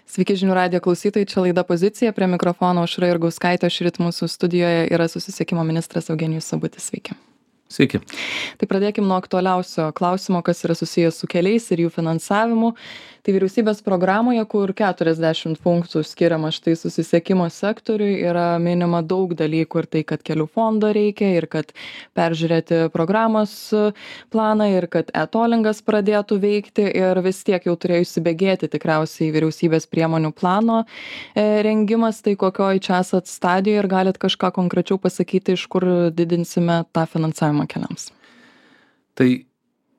Sveiki žinių radijo klausytojai, čia laida Pozicija, prie mikrofono Aušra Jurgauskaitė, šįryt mūsų studijoje yra susisiekimo ministras Eugenijus Sabutis. Sveiki. Sveiki. Tai pradėkim nuo aktualiausio klausimo, kas yra susijęs su keliais ir jų finansavimu. Tai vyriausybės programoje, kur 40 punktų skiriama štai susisiekimo sektoriui, yra minima daug dalykų ir tai, kad kelių fondo reikia, ir kad peržiūrėti programos planą, ir kad e-tollingas pradėtų veikti, ir vis tiek jau turėjo įsibėgėti tikriausiai vyriausybės priemonių plano rengimas. Tai kokioj čia esat stadijoje ir galit kažką konkrečiau pasakyti, iš kur didinsime tą finansavimą keliams? Tai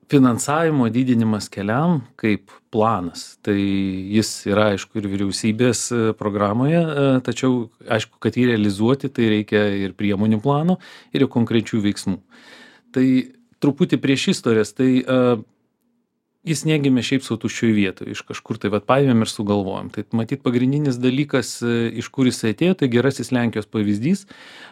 finansavimo didinimas keliam kaip planas, tai jis yra aišku ir vyriausybės programoje, tačiau aišku, kad jį realizuoti, tai reikia ir priemonių plano, ir konkrečių veiksmų. Tai truputį prieš istorijas, tai jis negimė šiaip sau tuščioj vietoje, iš kažkur tai paėmėm ir sugalvojom. Tai matyt pagrindinis dalykas, iš kur jis atėjo, tai gerasis Lenkijos pavyzdys.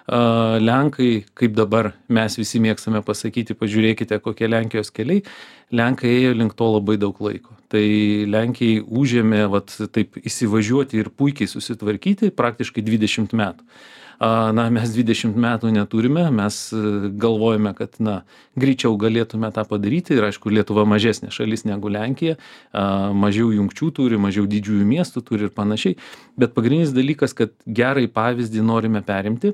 Lenkai, kaip dabar mes visi mėgstame pasakyti, pažiūrėkite, kokie Lenkijos keliai, Lenkai ėjo link to labai daug laiko. Tai Lenkijai užėmė taip įsivažiuoti ir puikiai susitvarkyti praktiškai 20 metų. Mes 20 metų neturime, mes galvojame, kad greičiau galėtume tą padaryti ir aišku, Lietuva mažesnė šalis negu Lenkija, mažiau jungčių turi, mažiau didžiųjų miestų turi ir panašiai, bet pagrindinis dalykas, kad gerai pavyzdį norime perimti.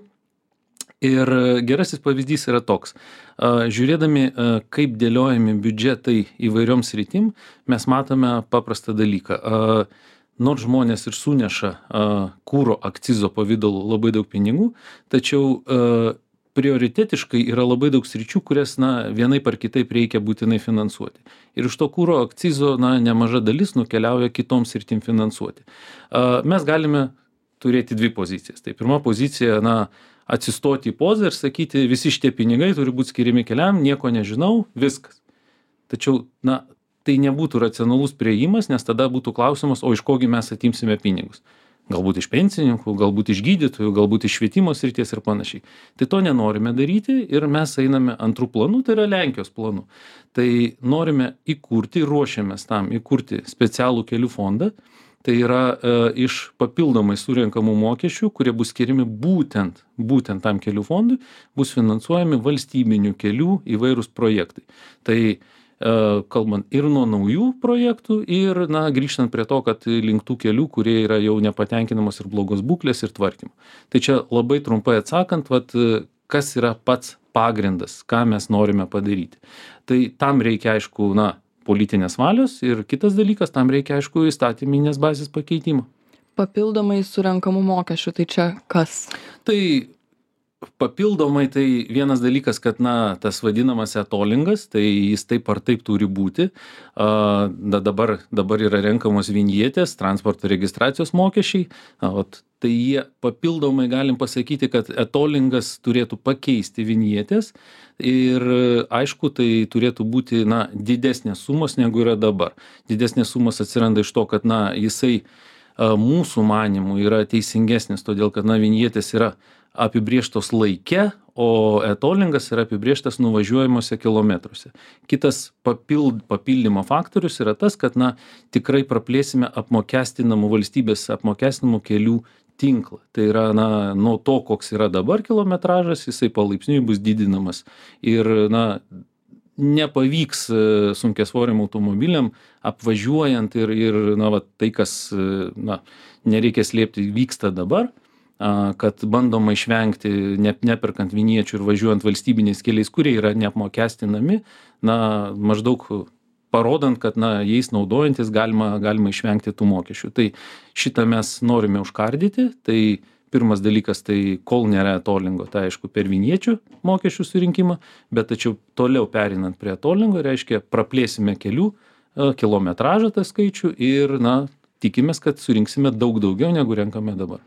Ir gerasis pavyzdys yra toks. Žiūrėdami, kaip dėliojami biudžetai įvairioms sritim, mes matome paprastą dalyką. Nors žmonės ir suneša kuro akcizo pavidalu labai daug pinigų, tačiau prioritetiškai yra labai daug sričių, kurias vienaip ar kitaip reikia būtinai finansuoti. Ir iš to kuro akcizo nemaža dalis nukeliauja kitoms sritim finansuoti. Mes galime turėti dvi pozicijas. Tai pirma pozicija, atsistoti į pozą ir sakyti, visi šitie pinigai turi būti skiriami keliam, nieko nežinau, viskas. Tačiau, tai nebūtų racionalus priėjimas, nes tada būtų klausimas, o iš kogi mes atimsime pinigus. Galbūt iš pensininkų, galbūt iš gydytojų, galbūt iš švietimo srities ir panašiai. Tai to nenorime daryti ir mes einame antrų planų, tai yra Lenkijos planų. Tai norime įkurti, ruošiamės tam įkurti specialų kelių fondą. Tai yra iš papildomai surenkamų mokesčių, kurie bus skiriami būtent tam kelių fondui, bus finansuojami valstybinių kelių įvairūs projektai. Tai kalbant ir nuo naujų projektų ir grįžtant prie to, kad link tų kelių, kurie yra jau nepatenkinamos ir blogos būklės ir tvarkymo. Tai čia labai trumpai atsakant, kas yra pats pagrindas, ką mes norime padaryti. Tai tam reikia aišku, politinės valios ir kitas dalykas, tam reikia aišku įstatyminės bazės pakeitimo. Papildomai surenkamų mokesčių, tai čia kas? Tai papildomai tai vienas dalykas, kad tas vadinamas e-tollingas, tai jis taip ar taip turi būti. Dabar yra renkamos vinjetės, transporto registracijos mokesčiai. Tai jie papildomai galim pasakyti, kad e-tollingas turėtų pakeisti vinjetės ir aišku, tai turėtų būti didesnės sumos negu yra dabar. Didesnės sumos atsiranda iš to, kad jisai mūsų manimų yra teisingesnis, todėl kad vinjetės yra apibrėžtos laike, o e-tollingas yra apibrėžtas nuvažiuojamuose kilometruose. Kitas papildymo faktorius yra tas, kad tikrai praplėsime valstybės apmokestinamų kelių tinklą. Tai yra nuo to, koks yra dabar kilometražas, jisai palaipsniui bus didinamas. Ir nepavyks sunkiasvoriam automobiliam apvažiuojant ir tai, kas nereikia slėpti, vyksta dabar, kad bandoma išvengti, neperkant vinječių ir važiuojant valstybiniais keliais, kurie yra neapmokestinami, maždaug parodant, kad jais naudojantis galima išvengti tų mokesčių. Tai šitą mes norime užkardyti. Tai pirmas dalykas, tai kol nėra e-tollingo, tai aišku per vinječių mokesčių surinkimą, bet tačiau toliau perinant prie e-tollingo, reiškia praplėsime kelių kilometražą tą skaičių ir tikimės, kad surinksime daug daugiau negu renkame dabar.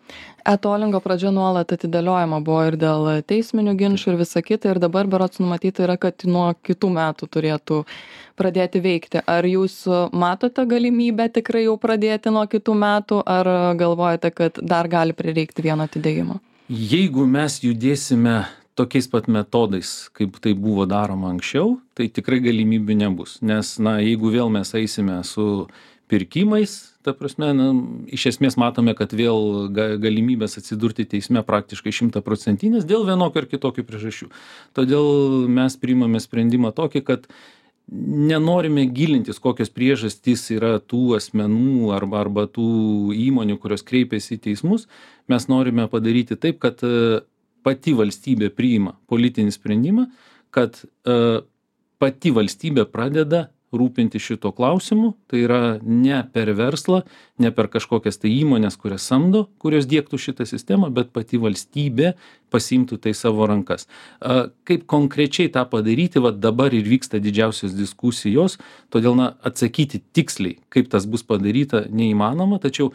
E-tollingo pradžia nuolat atidėliojama buvo ir dėl teisminių ginčų ir visa kita, ir dabar berods numatyta yra, kad nuo kitų metų turėtų pradėti veikti. Ar jūs matote galimybę tikrai jau pradėti nuo kitų metų, ar galvojate, kad dar gali prireikti vieno atidėjimo? Jeigu mes judėsime tokiais pat metodais, kaip tai buvo daroma anksčiau, tai tikrai galimybių nebus. Nes, jeigu vėl mes eisime su pirkimais, ta prasme, na, iš esmės matome, kad vėl galimybės atsidurti teisme praktiškai 100% dėl vienokio ar kitokių priežasčių. Todėl mes priimame sprendimą tokį, kad nenorime gilintis, kokios priežastys yra tų asmenų arba tų įmonių, kurios kreipiasi į teismus. Mes norime padaryti taip, kad pati valstybė priima politinį sprendimą, kad pati valstybė pradeda rūpinti šito klausimu, tai yra ne per verslą, ne per kažkokias tai įmonės, kurias samdo, kurios diegtų šitą sistemą, bet pati valstybė pasiimtų tai savo rankas. Kaip konkrečiai tą padaryti, va dabar ir vyksta didžiausios diskusijos, todėl atsakyti tiksliai, kaip tas bus padaryta, neįmanoma, tačiau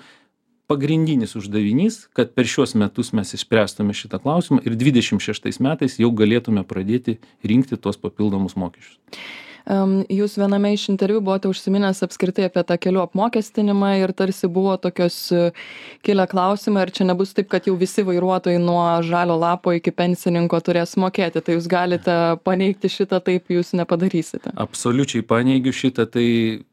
pagrindinis uždavinys, kad per šiuos metus mes išspręstume šitą klausimą ir 26 metais jau galėtume pradėti rinkti tuos papildomus mokesčius. Jūs viename iš interviu buvote užsiminęs apskritai apie tą kelių apmokestinimą ir tarsi buvo tokios kilę klausimai, ar čia nebus taip, kad jau visi vairuotojai nuo žalio lapo iki pensininko turės mokėti. Tai jūs galite paneigti šitą, taip jūs nepadarysite. Absoliučiai paneigiu šitą, tai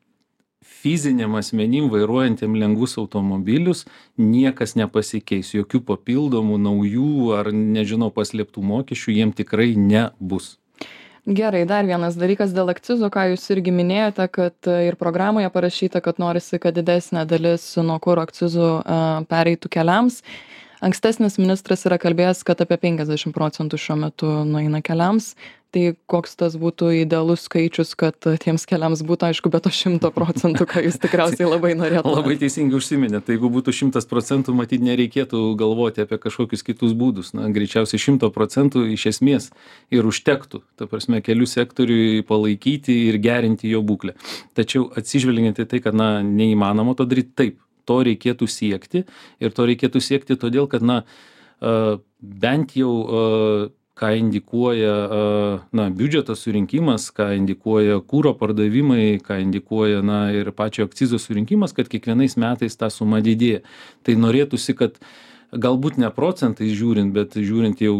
fiziniam asmenim vairuojantiem lengvus automobilius niekas nepasikeis, jokių papildomų, naujų ar nežinau paslėptų mokesčių jiem tikrai nebus. Gerai, dar vienas dalykas dėl akcizo, ką jūs irgi minėjote, kad ir programoje parašyta, kad norisi, kad didesnė dalis nuo kuro akcizų pereitų keliams. Ankstesnis ministras yra kalbėjęs, kad apie 50% šiuo metu nueina keliams. Tai koks tas būtų idealus skaičius, kad tiems keliams būtų, aišku, be to 100%, ką jūs tikriausiai labai norėtumėte. Labai teisingai užsiminėte. Tai jeigu būtų 100%, matyt, nereikėtų galvoti apie kažkokius kitus būdus. Na, greičiausiai 100% iš esmės ir užtektų. Ta prasme, kelių sektoriui palaikyti ir gerinti jo būklę. Tačiau atsižvelgiant į tai, kad neįmanoma to daryti, taip, to reikėtų siekti. Ir to reikėtų siekti todėl, kad bent jau ką indikuoja biudžeto surinkimas, ką indikuoja kuro pardavimai, ką indikuoja ir pačio akcizo surinkimas, kad kiekvienais metais ta suma didėja. Tai norėtųsi, kad galbūt ne procentais žiūrint, bet žiūrint jau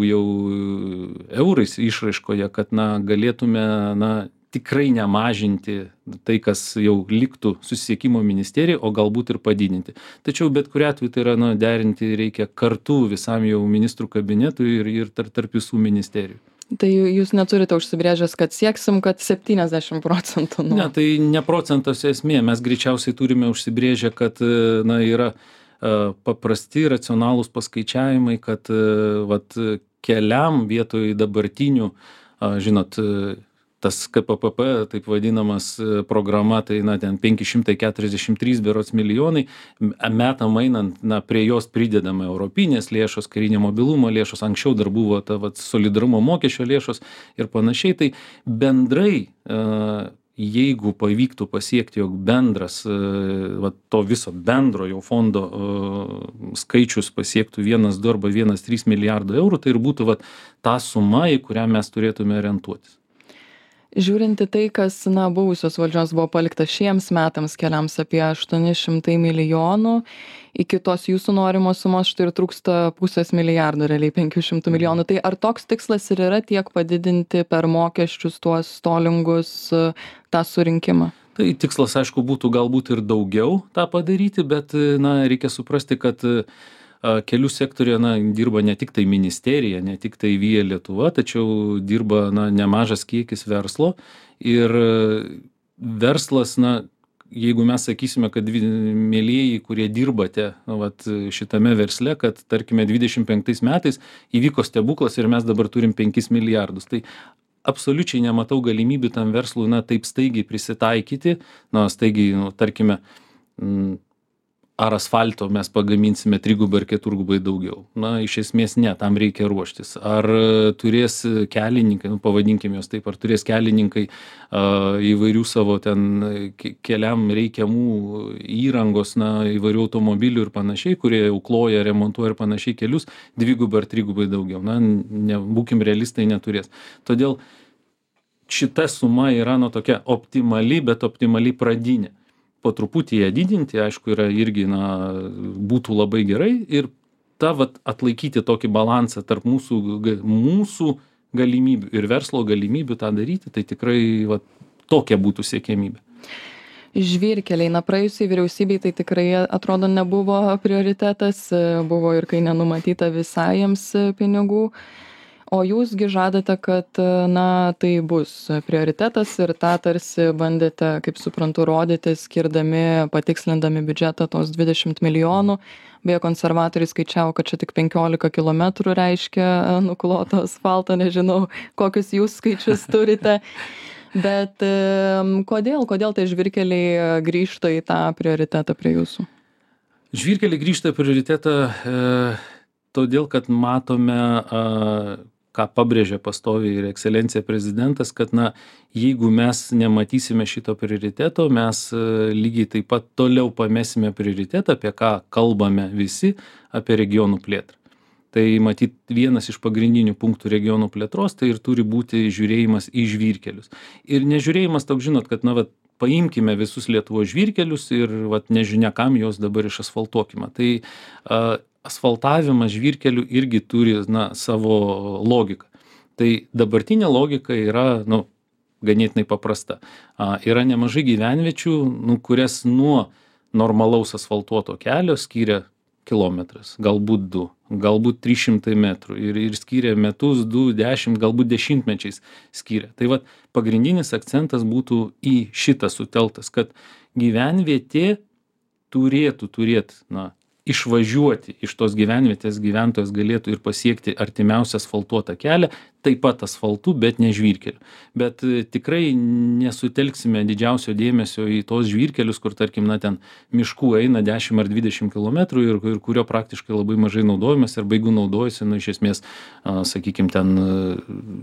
eurais išraiškoje, kad galėtume tikrai nemažinti tai, kas jau liktų susisiekimo ministerijai, o galbūt ir padidinti. Tačiau bet kuriuo atveju tai yra derinti reikia kartu visam jau ministrų kabinetui ir tarp visų ministerijų. Tai jūs neturite užsibrėžęs, kad sieksim, kad 70%? Ne, tai ne procentas esmė. Mes greičiausiai turime užsibrėžę, kad yra paprasti, racionalūs paskaičiavimai, kad keliam vietoj dabartinių, žinot, tas KPPP, taip vadinamas programa, tai ten 543 berods milijonai, metam einant, prie jos pridedame europinės lėšos, karinio mobilumo lėšos, anksčiau dar buvo ta solidarumo mokesčio lėšos ir panašiai, tai bendrai, jeigu pavyktų pasiekti, jog bendras, to viso bendrojo fondo skaičius pasiektų 1,2 arba 1,3 milijardo eurų, tai ir būtų ta suma, į kurią mes turėtume orientuotis. Žiūrinti tai, kas buvusios valdžios buvo palikta šiems metams keliams apie 800 milijonų, iki tos jūsų norimos sumos štai ir trūksta 500 milijardo, realiai 500 milijonų. Tai ar toks tikslas ir yra tiek padidinti per mokesčius tuos tolingus tą surinkimą? Tai tikslas, aišku, būtų galbūt ir daugiau tą padaryti, bet reikia suprasti, kad kelių sektorija dirba ne tik tai ministerija, ne tik tai Via Lietuva, tačiau dirba nemažas kiekis verslo ir verslas, jeigu mes sakysime, kad mielieji, kurie dirbate šitame versle, kad tarkime 25 metais įvyko stebuklas ir mes dabar turim 5 milijardus, tai absoliučiai nematau galimybių tam verslui taip staigiai prisitaikyti, staigiai, tarkime, ar asfalto mes pagaminsime 3 ar 4 daugiau. Iš esmės ne, tam reikia ruoštis. Ar turės kelininkai, pavadinkime jos taip, ar turės kelininkai įvairių savo ten keliam reikiamų įrangos, įvairių automobilių ir panašiai, kurie jau kloja, remontuoja ir panašiai kelius, 2 ar 3 daugiau. Būkim realistai, neturės. Todėl šita suma yra tokia optimali, bet optimaliai pradinė. Po truputį ją didinti, aišku, yra irgi, būtų labai gerai ir atlaikyti tokį balansą tarp mūsų galimybių ir verslo galimybių tą daryti, tai tikrai tokia būtų siekiamybė. Žvyrkeliai, na praėjusiai vyriausybei tai tikrai atrodo nebuvo prioritetas, buvo ir kai nenumatyta visai jiems pinigų. O jūsgi žadate, kad na tai bus prioritetas ir tą tarsi bandėte, kaip suprantu, rodyti, skirdami, patikslindami biudžetą tos 20 milijonų. Beje, konservatoriai skaičiavo, kad čia tik 15 kilometrų reiškia nukloto asfalto, nežinau, kokius jūs skaičius turite. Bet kodėl tie žvyrkeliai grįžta į tą prioritetą prie jūsų? Žvyrkeliai grįžta į prioritetą todėl, kad matome, ką pabrėžia pastoviai ir ekscelencija prezidentas, kad jeigu mes nematysime šito prioriteto, mes lygiai taip pat toliau pamesime prioritetą, apie ką kalbame visi, apie regionų plėtrą. Tai matyt vienas iš pagrindinių punktų regionų plėtros, tai ir turi būti žiūrėjimas į žvyrkelius. Ir nežiūrėjimas toks, žinot, kad paimkime visus Lietuvos žvyrkelius ir nežinia kam juos dabar išasfaltuokime. Tai asfaltavimas žvyrkelių irgi turi savo logiką. Tai dabartinė logika yra ganėtinai paprasta. Yra nemažai gyvenviečių, kurias nuo normalaus asfaltuoto kelio skiria kilometras, galbūt 2, galbūt 300 metrų ir skiria metus, 2, 10, galbūt dešimtmečiais skiria. Tai pagrindinis akcentas būtų į šitą sutelktas, kad gyvenvietė turėtų išvažiuoti iš tos gyvenvietės, gyventojas galėtų ir pasiekti artimiausią asfaltuotą kelią, taip pat asfaltu, bet ne žvyrkeliu. Bet tikrai nesutelksime didžiausio dėmesio į tos žvyrkelius, kur tarkim, ten miškų eina 10 ar 20 km ir kurio praktiškai labai mažai naudojamas arba jeigu naudojasi, iš esmės, sakykime, ten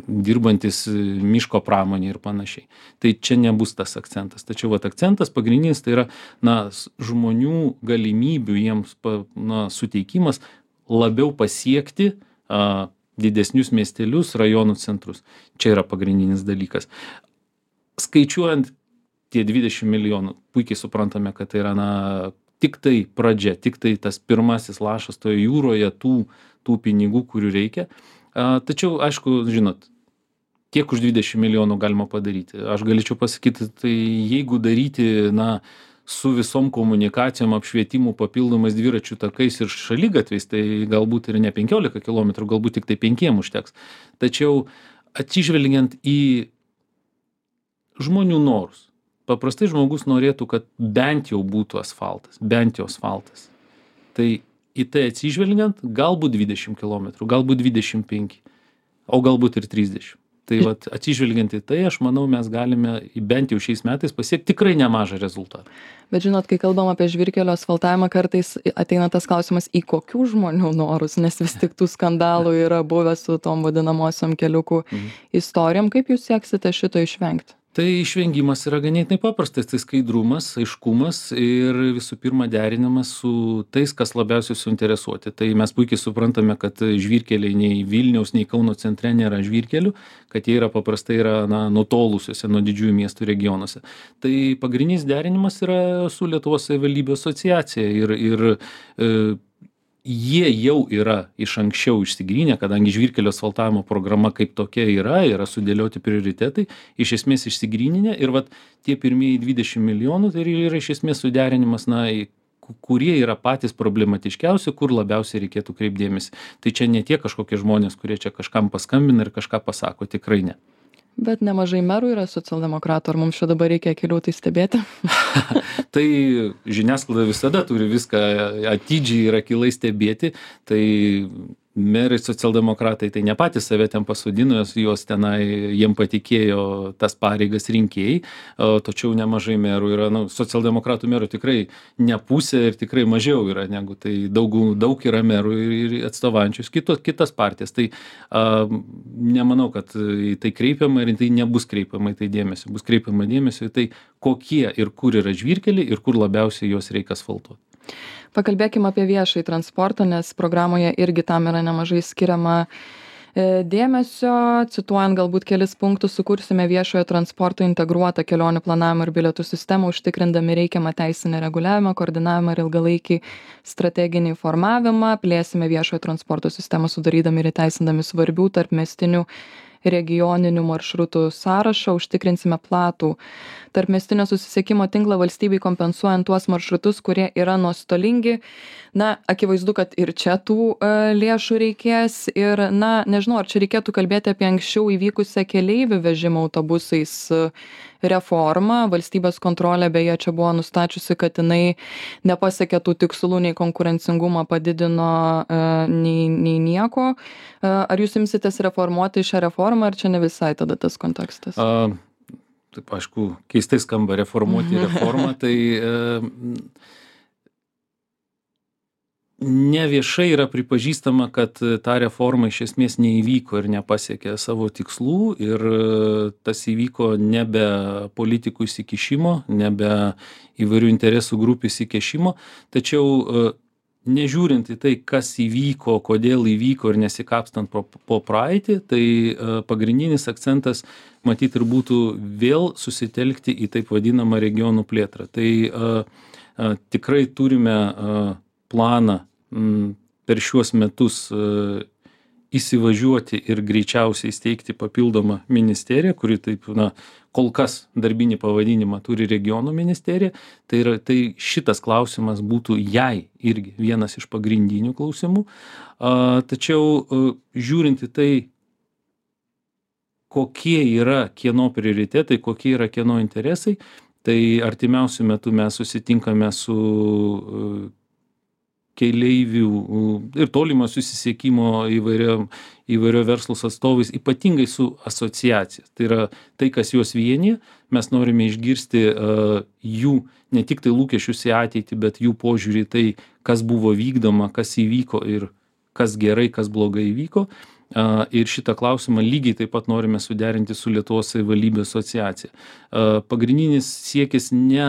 dirbantis miško pramonė ir panašiai. Tai čia nebus tas akcentas. Tačiau akcentas pagrindinis tai yra žmonių galimybių jiems suteikimas labiau pasiekti didesnius miestelius, rajonų centrus. Čia yra pagrindinis dalykas. Skaičiuojant tie 20 milijonų, puikiai suprantame, kad tai yra tik tai pradžia, tik tai tas pirmasis lašas toje jūroje tų pinigų, kurių reikia. Tačiau, aišku, žinot, kiek už 20 milijonų galima padaryti. Aš galėčiau pasakyti, tai jeigu daryti, su visom komunikacijom, apšvietimu, papildomais dviračių takais ir šaligatviais, tai galbūt ir ne 15 km, galbūt tik tai 5 užteks. Tačiau atsižvelgiant į žmonių norus, paprastai žmogus norėtų, kad bent jau būtų asfaltas, Tai į tai atsižvelgiant, galbūt 20 km, galbūt 25, o galbūt ir 30. Tai atsižvelgiant į tai, aš manau, mes galime bent jau šiais metais pasiekti tikrai nemažą rezultatą. Bet žinot, kai kalbam apie žvyrkelio asfaltavimą, kartais ateina tas klausimas, į kokių žmonių norus, nes vis tik tų skandalų yra buvę su tom vadinamosiom keliukų istorijom. Kaip jūs sieksite šito išvengti? Tai išvengimas yra ganėtinai paprastas, tai skaidrumas, aiškumas ir visų pirma derinimas su tais, kas labiausiai suinteresuoti. Tai mes puikiai suprantame, kad žvyrkeliai nei Vilniaus, nei Kauno centre nėra žvyrkelių, kad jie paprastai yra nutolusiuose nuo didžiųjų miestų regionuose. Tai pagrindinis derinimas yra su Lietuvos savivaldybių asociacija ir jie jau yra iš anksčiau išsigrynę, kadangi žvyrkelio asfaltavimo programa kaip tokia yra sudėlioti prioritetai, iš esmės išsigryninę ir tie pirmieji 20 milijonų tai yra iš esmės suderinimas, kurie yra patys problematiškiausi, kur labiausiai reikėtų kreipdėmėsi. Tai čia ne tie kažkokie žmonės, kurie čia kažkam paskambina ir kažką pasako, tikrai ne. Bet nemažai merų yra socialdemokratų, ar mums čia dabar reikia akiliau tai stebėti? Tai žiniasklaida visada turi viską atidžiai ir akylai stebėti, tai merai socialdemokratai tai ne patys save ten pasodino, juos tenai jiem patikėjo tas pareigas rinkėjai, tačiau nemažai merų yra, socialdemokratų merų tikrai ne pusė ir tikrai mažiau yra negu tai daug yra merų ir atstovaujančius kitas partijas. Tai nemanau, kad tai kreipiama ir tai nebus kreipiama į tai dėmesio. Bus kreipiama dėmesio į tai, kokie ir kur yra žvyrkeliai ir kur labiausiai juos reikia asfaltuoti. Pakalbėkime apie viešąjį transportą, nes programoje irgi tam yra nemažai skiriama dėmesio. Cituojant galbūt kelis punktus, sukursime viešojo transporto integruotą kelionių planavimo ir bilietų sistemą, užtikrindami reikiamą teisinį reguliavimą, koordinavimą ir ilgalaikį strateginį formavimą. Plėsime viešojo transporto sistemą, sudarydami ir įteisindami svarbių tarpmiestinių regioninių maršrutų sąrašą, užtikrinsime platų tarpmiestinio susisiekimo tinklą valstybei kompensuojant tuos maršrutus, kurie yra nuostolingi. Na, akivaizdu, kad ir čia tų lėšų reikės ir, na, nežinau, ar čia reikėtų kalbėti apie anksčiau įvykusią keleivių vežimo autobusais reformą. Valstybės kontrolė beje čia buvo nustačiusi, kad jinai nepasiekė tų tikslų, nei konkurencingumą padidino, nei nieko. Ar jūs imsitės reformuoti šią reformą, ar čia ne visai tada tas kontekstas? Taip, aišku, keistai skamba reformuoti reformą, tai neviešai yra pripažįstama, kad ta reforma iš esmės neįvyko ir nepasiekė savo tikslų ir tas įvyko nebe politikų įsikišimo, nebe įvairių interesų grupių įsikišimo, tačiau nežiūrint į tai, kas įvyko, kodėl įvyko ir nesikapstant po praeitį, tai pagrindinis akcentas matyt ir būtų vėl susitelkti į taip vadinamą regionų plėtrą. Tai tikrai turime planą per šiuos metus įsivažiuoti ir greičiausiai įsteigti papildomą ministeriją, kuri taip, kol kas darbinį pavadinimą turi regionų ministerija. Tai šitas klausimas būtų jai irgi vienas iš pagrindinių klausimų. Tačiau žiūrint į tai, kokie yra kieno prioritetai, kokie yra kieno interesai, tai artimiausiu metu mes susitinkame su keleivių ir tolimo susisiekimo įvairio verslus atstovais, ypatingai su asociacija. Tai yra tai, kas juos vienyje. Mes norime išgirsti jų ne tik tai lūkesčius į ateitį, bet jų požiūrį į tai, kas buvo vykdoma, kas įvyko ir kas gerai, kas blogai įvyko. Ir šitą klausimą lygiai taip pat norime suderinti su Lietuvos savivaldybių asociacija. Pagrindinis siekis ne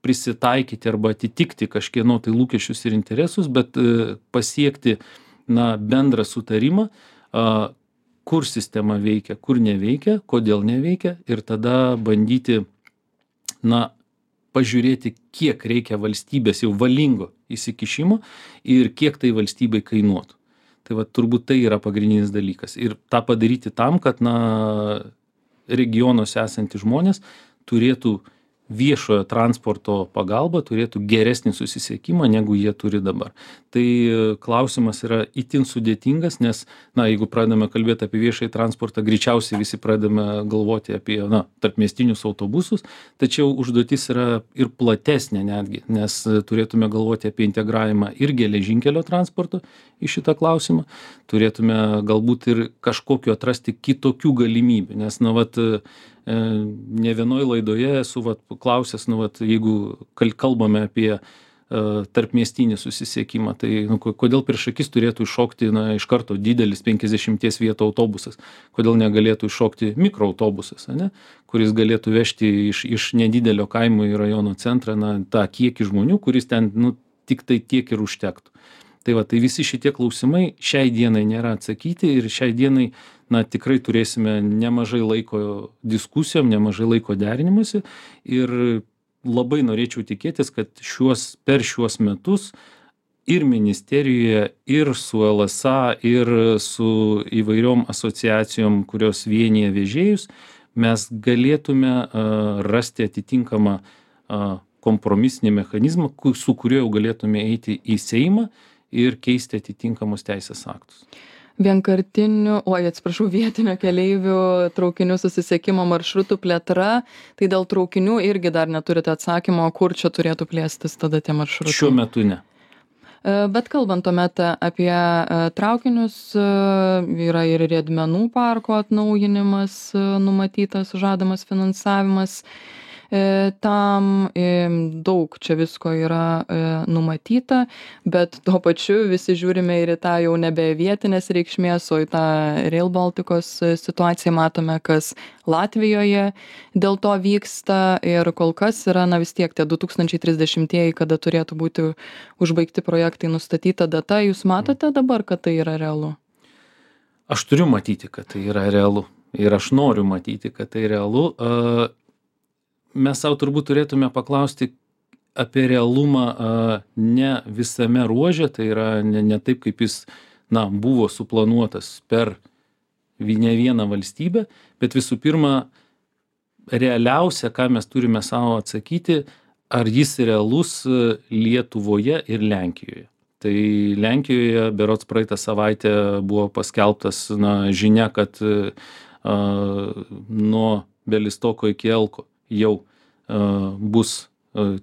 prisitaikyti arba atitikti kažkieno tai lūkesčius ir interesus, bet pasiekti bendrą sutarimą, kur sistema veikia, kur neveikia, kodėl neveikia ir tada bandyti pažiūrėti, kiek reikia valstybės jau valingo įsikišimo ir kiek tai valstybei kainuotų. Tai va, turbūt tai yra pagrindinis dalykas. Ir tą padaryti tam, kad regionuose esantys žmonės turėtų viešojo transporto pagalbą, turėtų geresnį susisiekimą, negu jie turi dabar. Tai klausimas yra itin sudėtingas, nes, jeigu pradame kalbėti apie viešąjį transportą, greičiausiai visi pradame galvoti apie, tarpmiestinius autobusus, tačiau užduotis yra ir platesnė netgi, nes turėtume galvoti apie integravimą ir geležinkelio transporto į šitą klausimą, turėtume galbūt ir kažkokiu atrasti kitokių galimybių, nes, ne vienoj laidoje esu klausęs, jeigu kalbame apie tarpmiestinį susisiekimą, tai kodėl prieš akis turėtų iššokti iš karto didelis 50 vietų autobusas, kodėl negalėtų iššokti mikroautobusas, kuris galėtų vežti iš nedidelio kaimo į rajono centrą tą kiekį žmonių, kuris ten tik tai tiek ir užtektų. Tai visi šitie klausimai šiai dienai nėra atsakyti ir šiai dienai tikrai turėsime nemažai laiko diskusijom, nemažai laiko derinimuose ir labai norėčiau tikėtis, kad per šiuos metus ir ministerijoje, ir su LSA, ir su įvairiom asociacijom, kurios vienyje vežėjus, mes galėtume rasti atitinkamą kompromisinį mechanizmą, su kuriuo jau galėtume eiti į Seimą ir keisti atitinkamus teisės aktus. Vietinio keleivių traukinių susisiekimo maršrutų plėtra, tai dėl traukinių irgi dar neturite atsakymo, kur čia turėtų plėstis tada tie maršrutai? Šiuo metu ne. Bet kalbant tuomet apie traukinius, yra ir riedmenų parko atnaujinimas numatytas, žadamas finansavimas. Tam daug čia visko yra numatyta, bet tuo pačiu visi žiūrime ir į tą jau nebe vietinės reikšmės, o į tą Rail Balticos situaciją matome, kas Latvijoje dėl to vyksta ir kol kas yra vis tiek tie 2030-ieji, kada turėtų būti užbaigti projektai, nustatyta data. Jūs matote dabar, kad tai yra realu? Aš turiu matyti, kad tai yra realu ir aš noriu matyti, kad tai realu. Mes savo turbūt turėtume paklausti apie realumą ne visame ruože, tai yra ne taip, kaip jis buvo suplanuotas per ne vieną valstybę, bet visų pirma, realiausia, ką mes turime savo atsakyti, ar jis realus Lietuvoje ir Lenkijoje. Tai Lenkijoje berods praeitą savaitę buvo paskelbtas žinia, kad nuo Belistoko iki Elko jau bus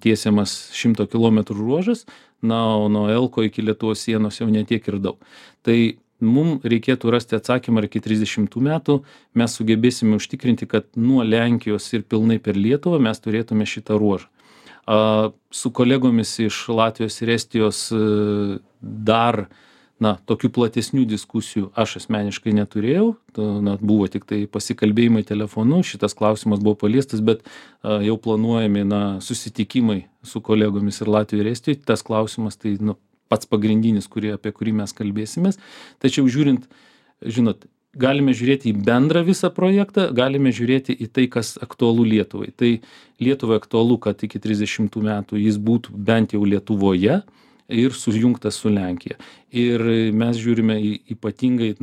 tiesiamas 100 km ruožas, o nuo Elko iki Lietuvos sienos jau netiek ir daug. Tai mums reikėtų rasti atsakymą, ar iki 30 metų mes sugebėsime užtikrinti, kad nuo Lenkijos ir pilnai per Lietuvą mes turėtume šitą ruožą. Su kolegomis iš Latvijos ir Estijos dar tokių platesnių diskusijų aš asmeniškai neturėjau, buvo tik tai pasikalbėjimai telefonu, šitas klausimas buvo paliestas, bet jau planuojami susitikimai su kolegomis ir Latvijoje ir Estijoje, tas klausimas tai pats pagrindinis, apie kurį mes kalbėsimės. Tačiau žiūrint, galime žiūrėti į bendrą visą projektą, galime žiūrėti į tai, kas aktualu Lietuvai. Tai Lietuvai aktualu, kad iki 30 metų jis būtų bent jau Lietuvoje ir sujungtas su Lenkija. Ir mes žiūrime ypatingai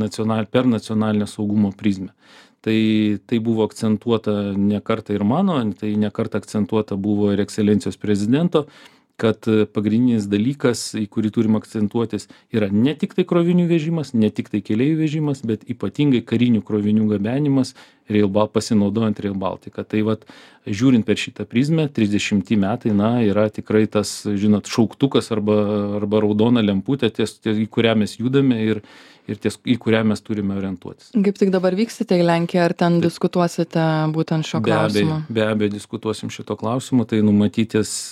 per nacionalinio saugumo prizmę. Tai buvo akcentuota ne kartą ir mano, tai ne kartą akcentuota buvo ir ekscelencijos prezidento, kad pagrindinis dalykas, į kurį turim akcentuotis, yra ne tik tai krovinių vežimas, ne tik tai keleivių vežimas, bet ypatingai karinių krovinių gabenimas, pasinaudojant Rail Baltica. Tai žiūrint per šitą prizmę, 30 metai, yra tikrai tas, šauktukas arba raudona lemputė, į kurią mes judame ir į kurią mes turime orientuotis. Kaip tik dabar vyksite į Lenkiją, ar ten diskutuosite būtent šio klausimu? Be abejo, diskutuosim šito klausimu, tai numatytis,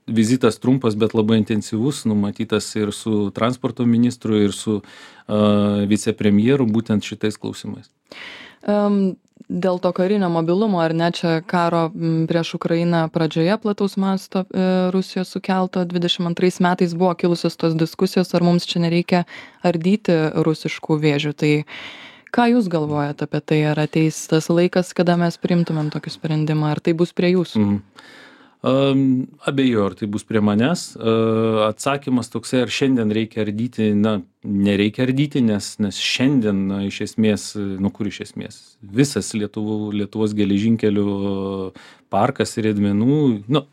vizitas trumpas, bet labai intensyvus, numatytas ir su transporto ministru, ir su vicepremjeru būtent šitais klausimais. Dėl to karinio mobilumo, ar ne, čia karo prieš Ukrainą pradžioje plataus masto Rusijos sukelto 22 metais buvo kilusios tos diskusijos, ar mums čia nereikia ardyti rusiškų vėžių. Tai ką jūs galvojate apie tai, ar ateis tas laikas, kada mes priimtumėm tokį sprendimą, ar tai bus prie jūsų? Abejoju, ar tai bus prie manęs. Atsakymas toksai, ar šiandien reikia ardyti, nereikia ardyti, nes šiandien iš esmės, kur iš esmės, visas Lietuvos geležinkelių parkas ir riedmenų,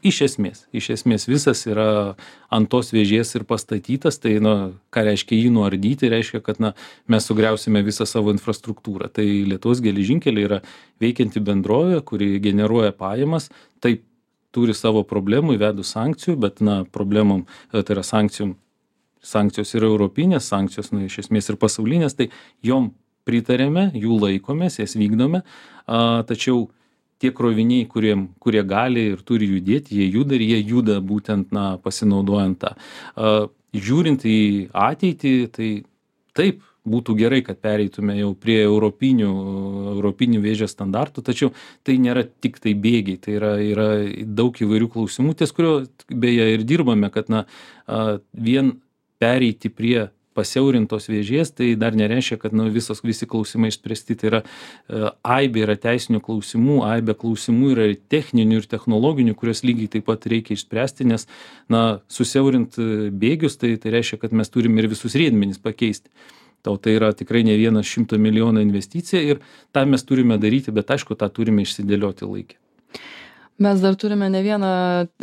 iš esmės visas yra ant tos vėžės ir pastatytas, tai ką reiškia jį nuardyti, reiškia, kad mes sugriausime visą savo infrastruktūrą. Tai Lietuvos geležinkeliai yra veikianti bendrovė, kuri generuoja pajamas, taip turi savo problemų, įvedus sankcijų, bet problemom, tai yra sankcijos yra europinės, sankcijos iš esmės ir pasaulinės, tai jom pritarėme, jų laikomės, jas vykdome, tačiau tie kroviniai, kurie gali ir turi judėti, jie juda ir jie juda būtent pasinaudojant tą. Žiūrint į ateitį, tai taip, būtų gerai, kad pereitume jau prie europinių vėžio standartų, tačiau tai nėra tik tai bėgiai, tai yra daug įvairių klausimų, ties kurio beje ir dirbame, kad vien pereiti prie pasiaurintos vėžės, tai dar nereiškia, kad visi klausimai išspręsti. Tai yra aibė yra teisinių klausimų, aibė klausimų yra ir techninių, ir technologinių, kurios lygiai taip pat reikia išspręsti, nes susiaurint bėgius, tai reiškia, kad mes turime ir visus riedmenis pakeisti. Tai yra tikrai ne 100 milijonų investicija ir tą mes turime daryti, bet aišku, tą turime išsidėlioti laikę. Mes dar turime ne vieną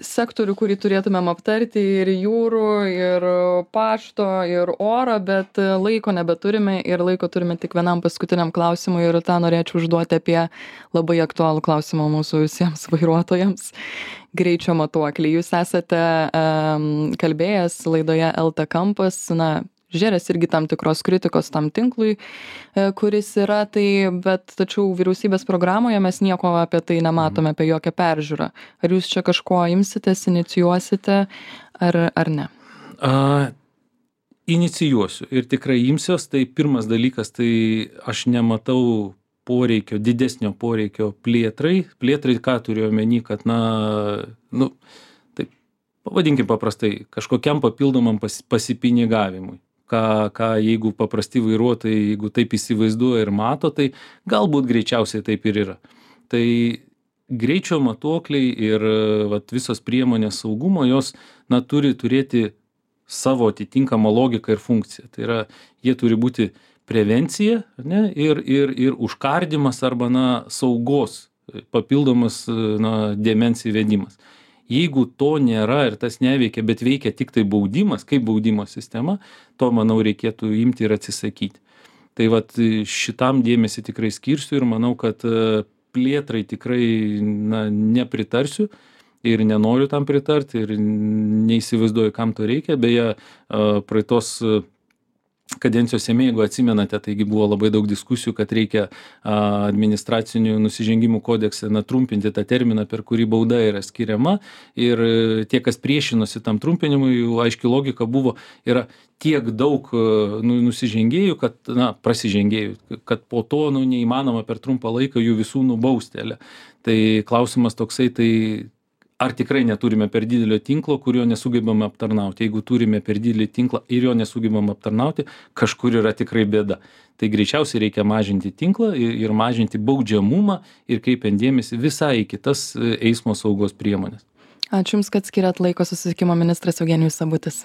sektorių, kurį turėtumėm aptarti, ir jūrų, ir pašto, ir oro, bet laiko nebeturime ir laiko turime tik vienam paskutiniam klausimui ir tą norėčiau užduoti apie labai aktualų klausimą mūsų visiems vairuotojams. Greičio matuokliai. Jūs esate kalbėjęs laidoje LT Kampas, žėrės irgi tam tikros kritikos tam tinklui, kuris yra, tačiau vyriausybės programoje mes nieko apie tai nematome, apie jokią peržiūrą. Ar jūs čia kažko imsitės, inicijuosite, ar ne? Inicijuosiu ir tikrai imsiuos. Tai pirmas dalykas, tai aš nematau didesnio poreikio plėtrai, ką turiu omeny, kad taip, pavadinkim paprastai, kažkokiam papildomam pasipinigavimui. Ką jeigu paprasti vairuotojai, jeigu taip įsivaizduoja ir mato, tai galbūt greičiausiai taip ir yra. Tai greičio matuokliai ir visos priemonės saugumo, jos turi turėti savo atitinkamą logiką ir funkciją. Tai yra, jie turi būti prevencija, ne, ir užkardymas arba, saugos papildomas, dėmens įvedimas. Jeigu to nėra ir tas neveikia, bet veikia tik tai baudimas, kaip baudimo sistema, to, manau, reikėtų imti ir atsisakyti. Tai vat šitam dėmesį tikrai skirsiu ir manau, kad plėtrai tikrai nepritarsiu ir nenoriu tam pritarti ir neįsivaizduoju, kam to reikia. Beje, praeitos kadencijos Seime, jeigu atsimenate, taigi buvo labai daug diskusijų, kad reikia administracinių nusižengimų kodekse trumpinti tą terminą, per kurį bauda yra skiriama. Ir tie, kas priešinosi tam trumpinimui, jų aiški logika buvo, yra tiek daug nusižengėjų, kad, prasižengėjų, kad po to neįmanoma per trumpą laiką jų visų nubausti. Tai klausimas toksai, tai ar tikrai neturime per didelio tinklo, kurio nesugebame aptarnauti. Jeigu turime per didelį tinklą ir jo nesugebame aptarnauti, kažkur yra tikrai bėda. Tai greičiausiai reikia mažinti tinklą ir mažinti baudžiamumą ir kreipiant dėmesį visai į kitas eismo saugos priemonės. Ačiū Jums, kad skiriat laiko. Susisiekimo ministras Eugenijus Sabutis.